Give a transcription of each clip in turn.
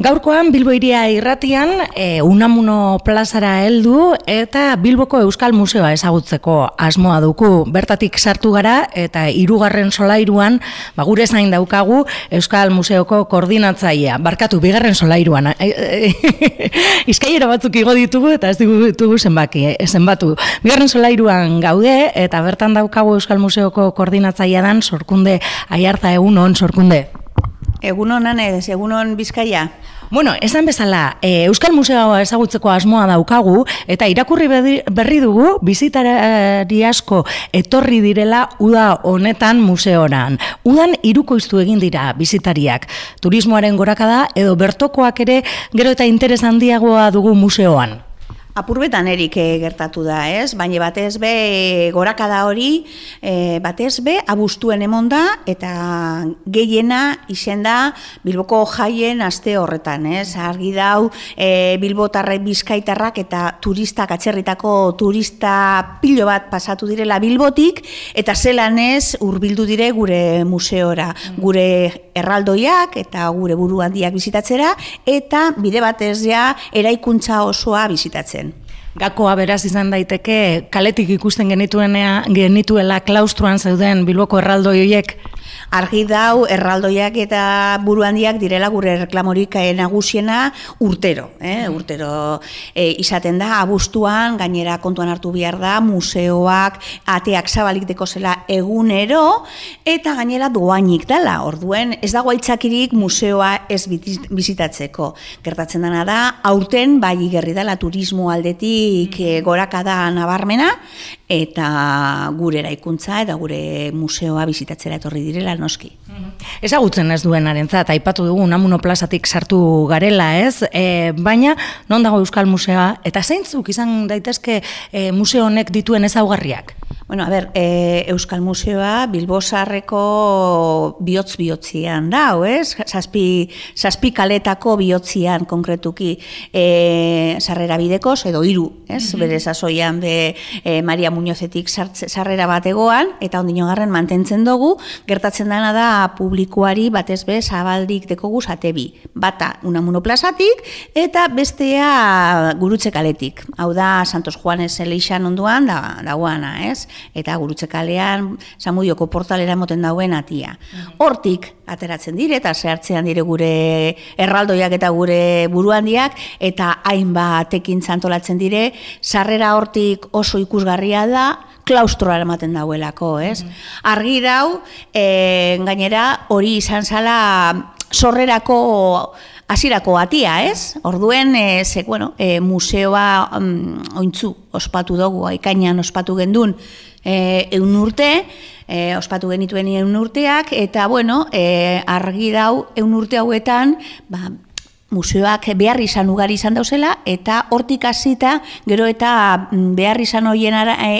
Gaurkoan Bilbo Hiria irratian Unamuno plazara heldu eta Bilboko Euskal Museoa ezagutzeko asmoa dugu. Bertatik sartu gara eta 3. solairuan gure zain daukagu Euskal Museoko koordinatzailea. Barkatu, 2. solairuan. Izkaiera batzuk igo ditugu eta ez ditugu zenbatu. 2. solairuan gaude eta bertan daukagu Euskal Museoko koordinatzailea dan Sorkunde Aiartza. Egunon, Sorkunde. Egunon, Anez, egunon Bizkaia. Bueno, esan bezala, Euskal Museoa ezagutzeko asmoa daukagu, eta irakurri berri dugu, bisitari asko etorri direla uda honetan museoran. Udan hirukoiztu egin dira bisitariak. Turismoaren gorakada edo bertokoak ere gero eta interes handiagoa dugu museoan. Apurbetan erik gertatu da, ez? Baina batez be gorakada hori, batez be abuztuen emonda eta gehiena izen da Bilboko jaien aste horretan, ez? Argi dau bilbotarrek, bizkaitarrak eta turistak, atzerritako turista pilo bat pasatu direla Bilbotik eta zelan ez hurbildu dire gure museora, gure erraldoiak eta gure buru handiak bizitatzera eta bide batez ja eraikuntza osoa bizitatzen. Gakoa beraz izan daiteke kaletik ikusten genituela klaustroan zeuden Bilboko erraldoi horiek. Argi dau erraldoiak eta buru handiak direla gure reklamorik nagusiena urtero. Urtero izaten da, abuztuan, gainera kontuan hartu behar da, museoak, ateak zabalik dekozela egunero, eta gainera doainik dela. Orduen, ez dago aitzakirik museoa ez bizitatzeko. Gertatzen dena da, aurten bai igerri dela turismo aldetik gorakada nabarmena, eta gure eraikuntza eta gure museoa bizitatzera etorri direla noski. Ezagutzen ez duenarentzat, aipatu dugu Unamuno plazatik sartu garela, ez? Baina, non dago Euskal Museoa, eta zeintzuk izan daitezke museo honek dituen ezaugarriak? Bueno, a ber, Euskal Museoa Bilbosarreko bihotz-bihotzian dau, ez? Zazpi kaletako bihotzian konkretuki sarrera bidekoz, edo 3, ez? Bere sasoian Maria Muñozetik sarrera bategoan, eta ondinogarren mantentzen dugu, gertatzen dena da publikoari batez be zabaldik dekogu zatebi. Bata Unamuno plazatik, eta bestea Gurutze kaletik. Hau da, Santos Juanes eleixan onduan dagoana, ez? Eta Gurutze kalean Zamudioko portalera moten dauen atia. Hortik ateratzen dire eta zehartzean dire gure erraldoiak eta gure buruhandiak eta hainbat ekintza antolatzen dire, sarrera hortik oso ikusgarria da, klaustroa ematen dauelako, ez? Argi dau, gainera hori izan zala sorrerako hasierako atia, ez? Orduen, museoa ointzu ospatu dugu, ekainean ospatu gendun 100 urte, ospatu genituen 100 urteak, eta argi dau 100 urte hauetan, museoak behar izan ugari izan dauzela, eta hortik hasita gero eta behar izan horien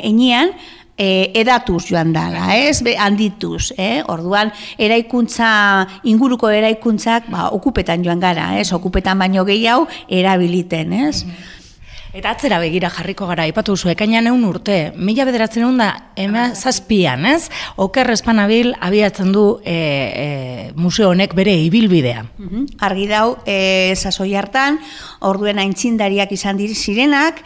enean, edatuz joan dala, ez? Handituz, Orduan, inguruko eraikuntzak okupetan joan gara, ez? Okupetan baino gehiago erabiliten, ez? Eta atzera begira jarriko gara, aipatu zu, ekainean 100 urte, 1917an, ez? Oker Espanabil abiatzen du museo honek bere ibilbidea. Argi dau, sasoi hartan, orduen aintzindariak izan zirenak,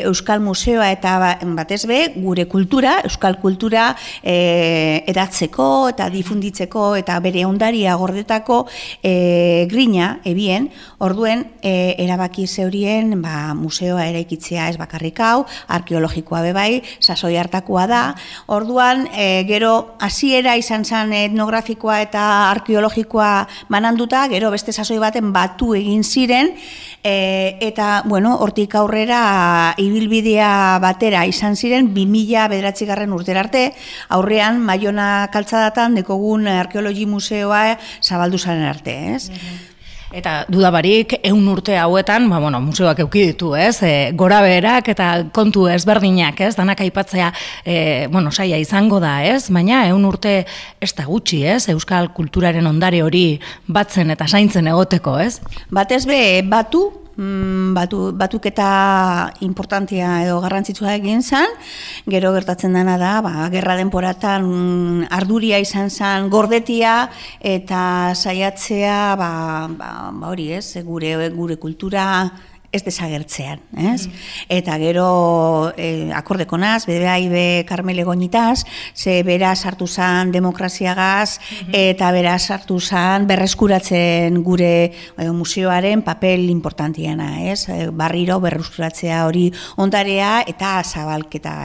Euskal Museoa eta batez be, gure kultura, Euskal kultura edatzeko eta difunditzeko eta bere ondaria gordetako grina, ebien, orduen erabaki zeurien museoa eraikitzea ez bakarrik hau, arkeologikoa bebai, sasoi hartakoa da. Orduan, gero hasiera izan zen etnografikoa eta arkeologikoa bananduta, gero beste sasoi baten batu egin ziren, eta, hortik aurrera ibilbidea batera izan ziren 2009 urtera arte, aurrean Maiona kaltzadatan dekogun arkeologi museoa zabaldu zaren arte, ez? Eta dudabarik 100 urte hauetan, museoak eduki ditu, ez? Gora beherak eta kontu ezberdinak, ez? Danak aipatzea, saia izango da, ez? Baina 100 urte ez da gutxi, ez? Euskal kulturaren ondare hori batzen eta zaintzen egoteko, ez? Batez be, batu batuketa importantea edo garrantzitsua egin zen, gero gertatzen dena da, gerra denporatan arduria izan zen gordetia eta saiatzea, hori ez, gure kultura ez desagertzean, ez? Eta gero akordeko naz, BBAIB Karmele Goñitaz, ze bera sartu zan demokraziagaz, eta bera sartu zan berreskuratzen gure museoaren papel importantiana, ez? Barriro berreskuratzea hori ondarea eta zabalketa,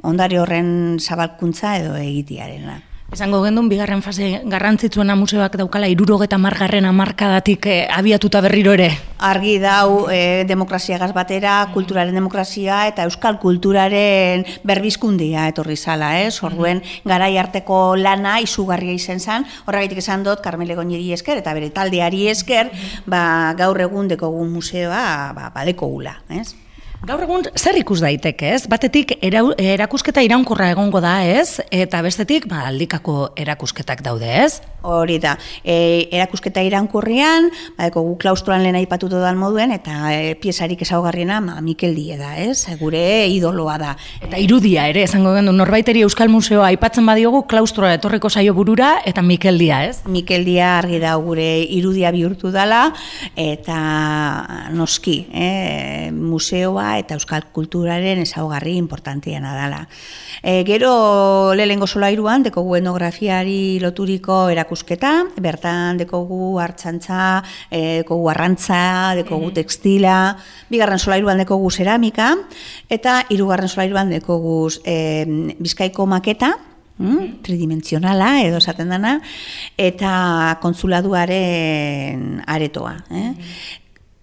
ondare horren zabalkuntza edo egitearena. Esango gendun, bigarren fase garrantzitsuena museoak daukala 70. hamarkadatik abiatuta berriro ere? Argi dau demokraziagaz batera, kulturaren demokrazia eta euskal kulturaren berbizkundia etorri zala, ez? Orduen garai arteko lana izugarria izan zen, horregatik esan dut Karmele Goñiri esker eta bere taldeari esker, gaur egun dekogun museoa badekogula, ez? Gaur egun zer ikus daiteke, ez? Batetik erakusketa iraunkorra egongo da, ez? Eta bestetik, aldikako erakusketak daude, ez? Hori da, erakusketa iraunkorrean, gu klaustroan lehen aipatu dodan moduen, eta piezarik ezaugarriena Mikel Die da, ez? Gure idoloa da. Eta irudia ere, esango gendu, norbaiteri Euskal Museoa aipatzen badiogu, klaustroa etorriko zaio burura, eta Mikel Die, ez? Mikel Die argi da gure irudia bihurtu dala, eta noski, museoa eta euskal kulturaren ezaugarri importantiena dela. Gero lehengo solairuan dekogu etnografiari loturiko erakusketa, bertan dekogu hartzantza, dekogu arrantza, dekogu tekstila, bigarren solairuan dekogu zeramika, eta hirugarren solairuan dekogu Bizkaiko maketa, tridimensionala edo esaten dana, eta kontsuladuaren aretoa.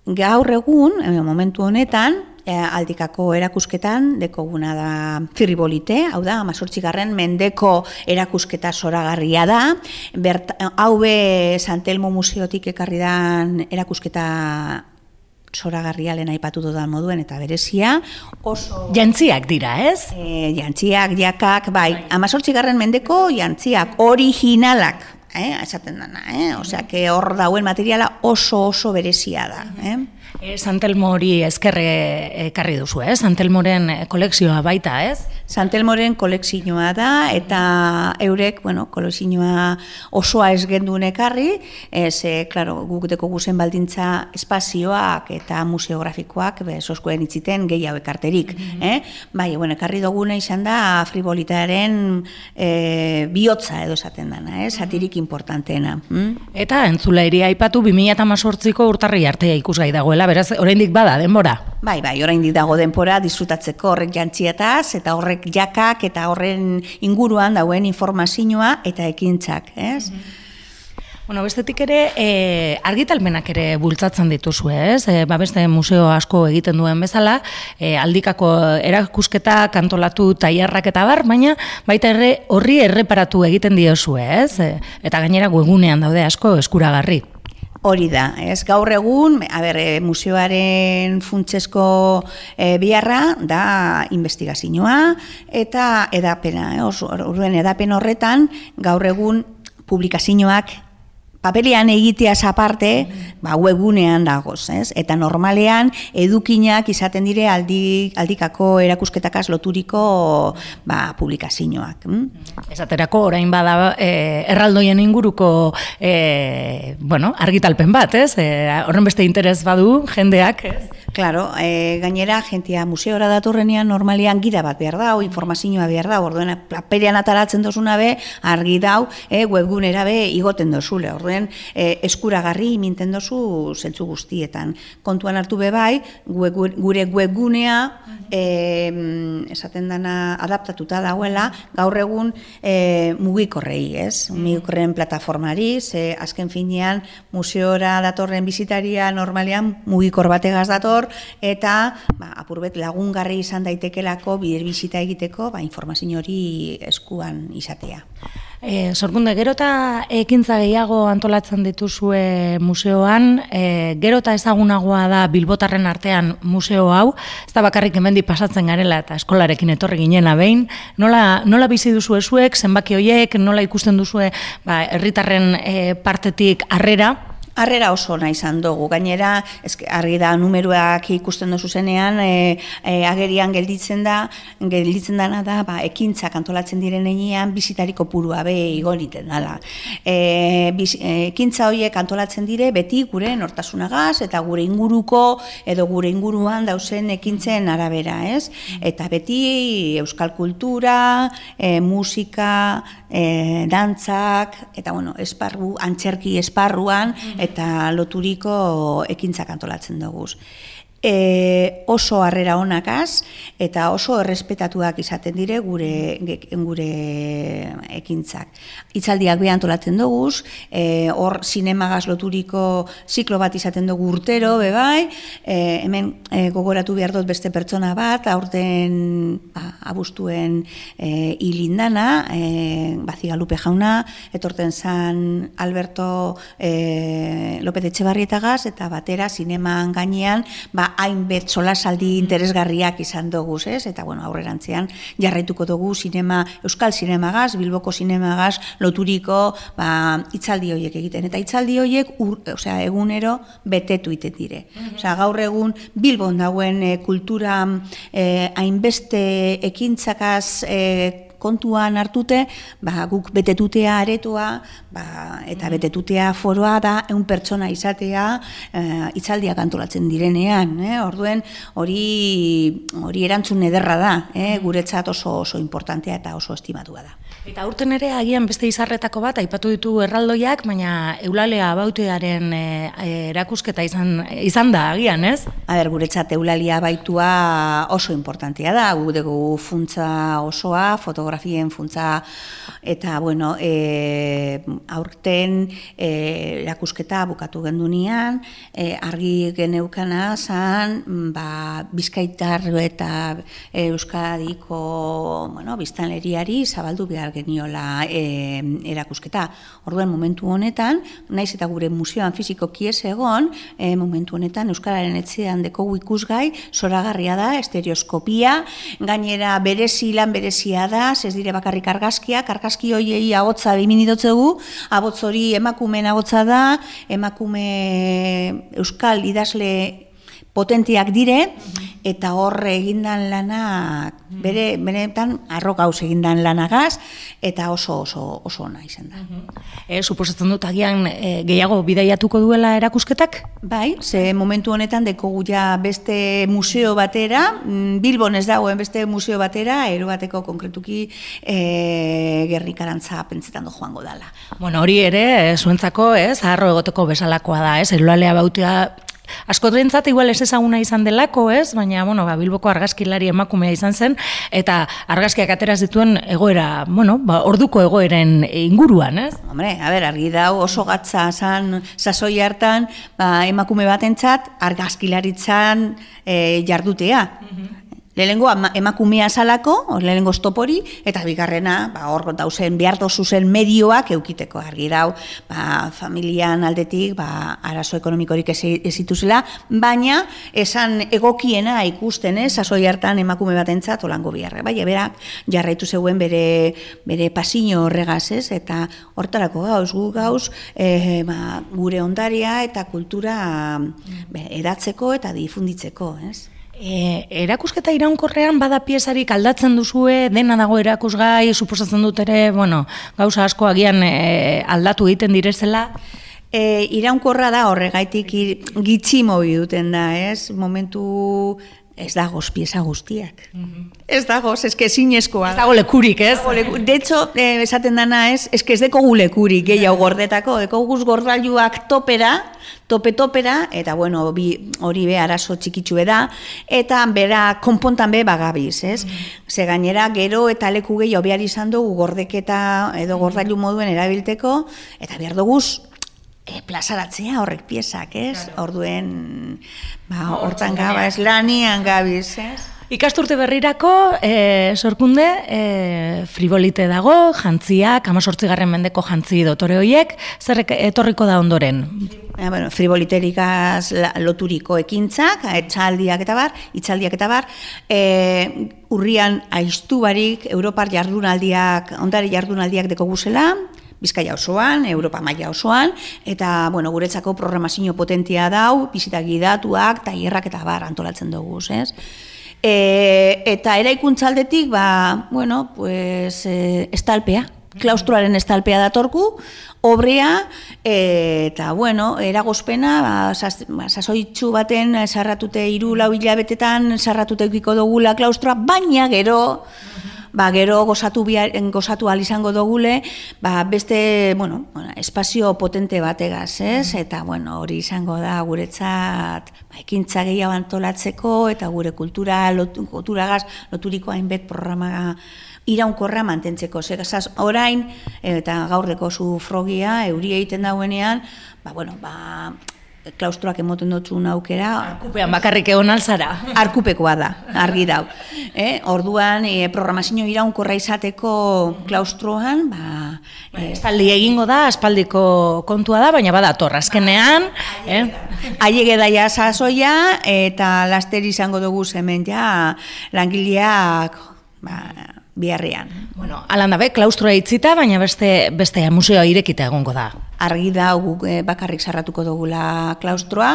Gaur egun, momentu honetan, aldikako erakusketan dekoguna da Fribolite, hau da, 18. mendeko erakusketa zoragarria da, hau be Santelmo Museotik ekarri dan erakusketa zoragarria lehen aipatu dudan moduen eta berezia, oso... Jantziak dira, ez? Jantziak, jakak, bai, 18. mendeko jantziak, originalak, esaten dana, osea, hor dauen materiala oso berezia da, Santelmo hori ezkerre ekarri duzu, ez? Santelmoren kolekzioa baita, ez? Santelmoren kolekzioa da, eta eurek, kolekzioa osoa ez genduen ekarri, klaro, guk dekogu zen baldintza espazioak eta museografikoak, soskuen itziten gehiago ekarterik. Bai, ekarri duguna izan da Fribolitaren bihotza edo esaten dana, satirik importantena. Eta entzulairi aipatu 2018ko urtarri artea ikusgai dagoela, beraz, oraindik bada denbora. Bai, oraindik dago denbora disfrutatzeko horrek jantzietaz, eta horrek jakak, eta horren inguruan dauen informazioa eta ekintzak, ez? Bestetik ere, argitalpenak ere bultzatzen dituzu, ez? Beste museo asko egiten duen bezala, aldikako erakusketa, kantolatu, tailerrak eta bar, baina baita horri erreparatu egiten diozu, ez? Eta gainera webgunean daude asko eskuragarri. Hori da, ez gaur egun, museoaren funtsesko biharra da investigazioa eta edapena. Orduen edapen horretan, gaur egun publikazioak papelean egiteaz aparte, webgunean dagoz, ez? Eta normalean edukinak izaten dire aldikako erakusketakaz loturiko publikazioak. Esaterako orain bada erraldoien inguruko argitalpen bat, ez? Horren beste interes badu jendeak, ez? Claro, gainera, jentia museora datorrenean normalean gida bat behar da, informazioa behar da, orduen papelean ataratzen dozuna be, argi dau, webgunera be igoten dozule, orduen eskuragarri minten dozu zentzu guztietan. Kontuan hartu be bai, gure webgunea esaten dana adaptatuta dagoela, gaur egun mugikorrei, ez? Mugikorren plataformari, azken finean museora datorren bizitaria normalean mugikor bategaz dator, eta apurbet lagungarri izan daitekelako bider bizita egiteko informazio hori eskuan izatea. Sorkunde, gero eta ekintza gehiago antolatzen dituzue museoan, gero eta ezagunagoa da bilbotarren artean museo hau, ez da bakarrik hemendik pasatzen garela eta eskolarekin etorri ginena behin, nola bizi duzu ezuek, zenbaki horiek, nola ikusten duzue herritarren partetik harrera? Harrera oso ona izan dugu, gainera, argi da numeroak ikusten dozu zenean, agerian gelditzen dana da, ekintzak antolatzen diren enean, bizitari kopurua igo egiten dela. Ekintza horiek antolatzen dire, beti gure nortasunagaz, eta gure inguruko, edo gure inguruan dauzen ekintzen arabera, ez? Eta beti euskal kultura, musika, dantzak, eta esparru, antzerki esparruan, eta loturiko ekintzak antolatzen dugu. Oso harrera onakaz eta oso errespetatuak izaten dire gure ekintzak. Hitzaldiak be antolatzen dugu, hor zinemagaz loturiko ziklo bat izaten dugu urtero, bebai, hemen gogoratu behar dut beste pertsona bat, aurten abuztuen hilindana, Bazigalupe jauna, etorten zan Alberto López Etxebarrietagaz, eta batera zineman gainean, hainbet solasaldi interesgarriak izan dugu, ez? Eta aurrerantzean jarraituko dugu euskal zinemagaz, Bilboko zinemagaz loturiko hitzaldi horiek egiten. Eta hitzaldi horiek egunero betetu iten dire. Gaur egun Bilbon dauen kultura hainbeste ekintzakaz kontuan hartute, guk betetutea aretoa, eta betetutea foroa da 100 pertsona izatea hitzaldiak antolatzen direnean. Orduen hori erantzun ederra da, guretzat oso importantea eta oso estimatua da. Eta aurten ere agian beste izarretako bat, aipatu ditu erraldoiak, baina Eulalia Abautuaren erakusketa izan da agian, ez? Guretzat Eulalia Abaitua oso importantea da, gu dugu funtsa osoa, fotografien funtsa, eta aurten erakusketa bukatu gendunean, argi geneukana zan, Bizkaitar eta Euskadiko biztanleriari zabaldu behar geniola erakusketa. Orduan momentu honetan, naiz eta gure museoan fizikoki ez egon, momentu honetan Euskararen etxean dekogu ikusgai, zoragarria da, estereoskopia, gainera lan berezia da, ez dire bakarrik argazki hoiei ahotsa biminidotzegu, ahots hori emakumeen ahotsa da, emakume euskal idazle potenteak dire, eta hor egindan lanak, benetan arro gauz egindan lanagaz, eta oso ona izan da. Suposatzen dut agian gehiago bidaiatuko duela erakusketak? Bai, ze momentu honetan dekogu ja beste museo batera, Bilbon ez dagoen beste museo batera, erobateko konkretuki Gernikarantza pentsetan joango dala. Hori ere, zuentzako, arro egoteko bezalakoa da, Eulalia Abautua askotrentzat igual ez ezaguna izan delako, baina Bilboko argazkilari emakumea izan zen, eta argazkiak ateraz dituen egoera, orduko egoeren inguruan, ez? Hombre, argi dau oso gatza zan sasoi hartan emakume batentzat argazkilaritzan jardutea. Lehenengo emakumea salako, lehenengo stopori, eta bigarrena, hor dauzen beharto zuzen medioak eukiteko argi dau, familian aldetik, arazo ekonomikorik ez zituzela, baina esan egokiena ikusten, sasoi hartan emakume batentzat olango biharre. Bai, berak jarraitu zeuen bere pasino horregaz, eta hortarako gauz, gure ondaria eta kultura edatzeko eta difunditzeko, ez? Erakusketa iraunkorrean bada piezarik aldatzen duzue, dena dago erakusgai, suposatzen dut ere, gauza asko agian aldatu egiten direzela? Iraunkorra da horregaitik gitxi mobi duten da, momentu ez dagoz pieza guztiak. Ez dagoz, ez que zinezkoa. Ez dago lekurik, ez? De hecho, esaten dana ez que ez dekogu lekurik, gehiago gordetako, dekoguz gordailuak topera, eta hori be arazo txikitxue da, eta bera konpontan be bagabiz, ez? Ze gainera, gero eta leku gehiago behar izan dugu gordeketa edo gordailu moduen erabilteko, eta behar duguz plazaratzea horrek piezak, ez? Orduen, hortan gabaz, lanian gabiz, ez? Ikasturte berrirako, sorkunde, frivolite dago, jantziak, 18. mendeko jantzi dotore horiek, zer etorriko da ondoren? Frivoliterikaz loturiko ekintzak, hitzaldiak eta bar, urrian aiztu barik, Europar jardunaldiak, ondare jardunaldiak deko guzela, Bizkaia osoan, Europa maila osoan, eta, bueno, guretzako programazio potentia dau, bizita gidatuak, tailerrak eta bar antolatzen dugu, ez? Eta eraikuntzaldetik, bueno, pues, estalpea, klaustroaren estalpea datorku, obrea, eta, bueno, eragozpena, sasoitxu baten sarratute 3-4 hilabetetan sarratute eukiko dugula klaustroa, baina gero gozatu ahal izango dugule, beste, bueno, espazio potente bategaz, ez? Eta, bueno, hori izango da guretzat ekintza gehiago antolatzeko, eta gure kulturagaz loturiko hainbet programa iraunkorra mantentzeko. Orain, eta gaurreko zu frogia, euri egiten dauenean, klaustroak emoten dutxun aukera. Arkupean bakarrik egon alzara. Arkupekoa da, argi dau. Orduan, programazio iraunkorra izateko klaustroan, espaldi egingo da, aspaldiko kontua da, baina badator, azkenean. Aiege daia sasoia, eta laster izango dugu hemen ja langileak biharrean. Bueno, alan dabe, klaustroa itzita, baina beste museoa irekita egongo da. Argi da guk bakarrik sarratuko dugula klaustroa,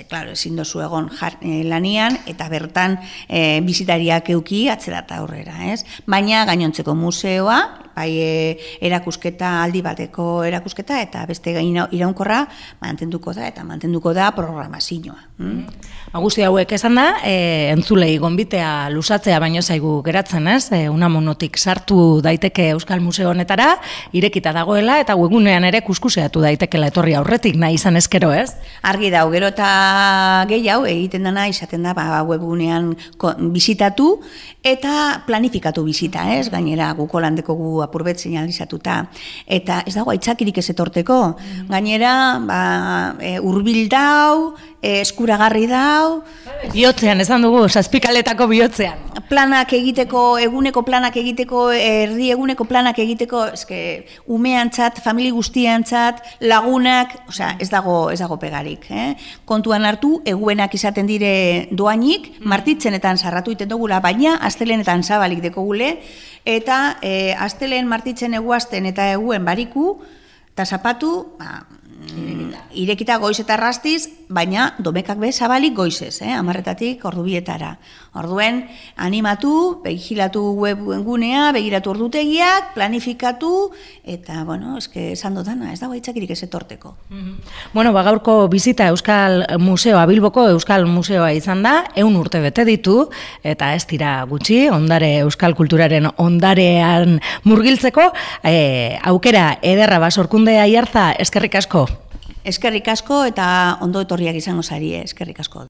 claro, ezin dozu egon lanian, eta bertan bisitariak euki atzera eta aurrera, ez? Baina gainontzeko museoa, bai erakusketa, aldi bateko erakusketa, eta beste iraunkorra mantenduko da programazioa. Guzti hauek esan da, entzulei gonbitea lusatzea baino zaigu geratzen, ez? Unamunotik sartu daiteke Euskal Museo honetara, irekita dagoela, eta webgunean ere kuskuseatu daitekela etorri aurretik nahi izan ezkero, ez? Argi dau, gero eta gehiago egiten dana izaten da webgunean bisitatu eta planifikatu bisita, ez? Gainera guko landeko gu apurbet señalizatuta. Eta ez dago aitzakirik ez etorteko. Gainera, hurbil dau, eskuragarri dau. Bihotzean, esan dugu, zazpikaletako bihotzean. Planak egiteko, eguneko planak egiteko, erdi eguneko planak egiteko, umeantzat, famili guztiantzat, lagunak, ez dago pegarik. Kontuan hartu, eguenak izaten dire doainik, martitzenetan sarratu iten dugula, baina astelenetan zabalik dekogule, eta astelen martitzen eguazten eta eguen bariku, eta zapatu, irekita goiz eta rastiz, baina domekak be zabalik goizez, 10:00 ordubietara. Orduen, animatu, begilatu webgunea, begiratu ordutegiak, planifikatu, eta, bueno, esan dutana, ez dago aitzakirik ez etorteko. Bueno, gaurko bizita Euskal Museoa, Bilboko Euskal Museoa izan da, 100 urte bete ditu, eta ez dira gutxi, Euskal Kulturaren ondarean murgiltzeko, aukera ederra Sorkunde Aiartza, eskerrik asko. Eskerrik asko eta ondo etorriak izango zarie, eskerrik asko.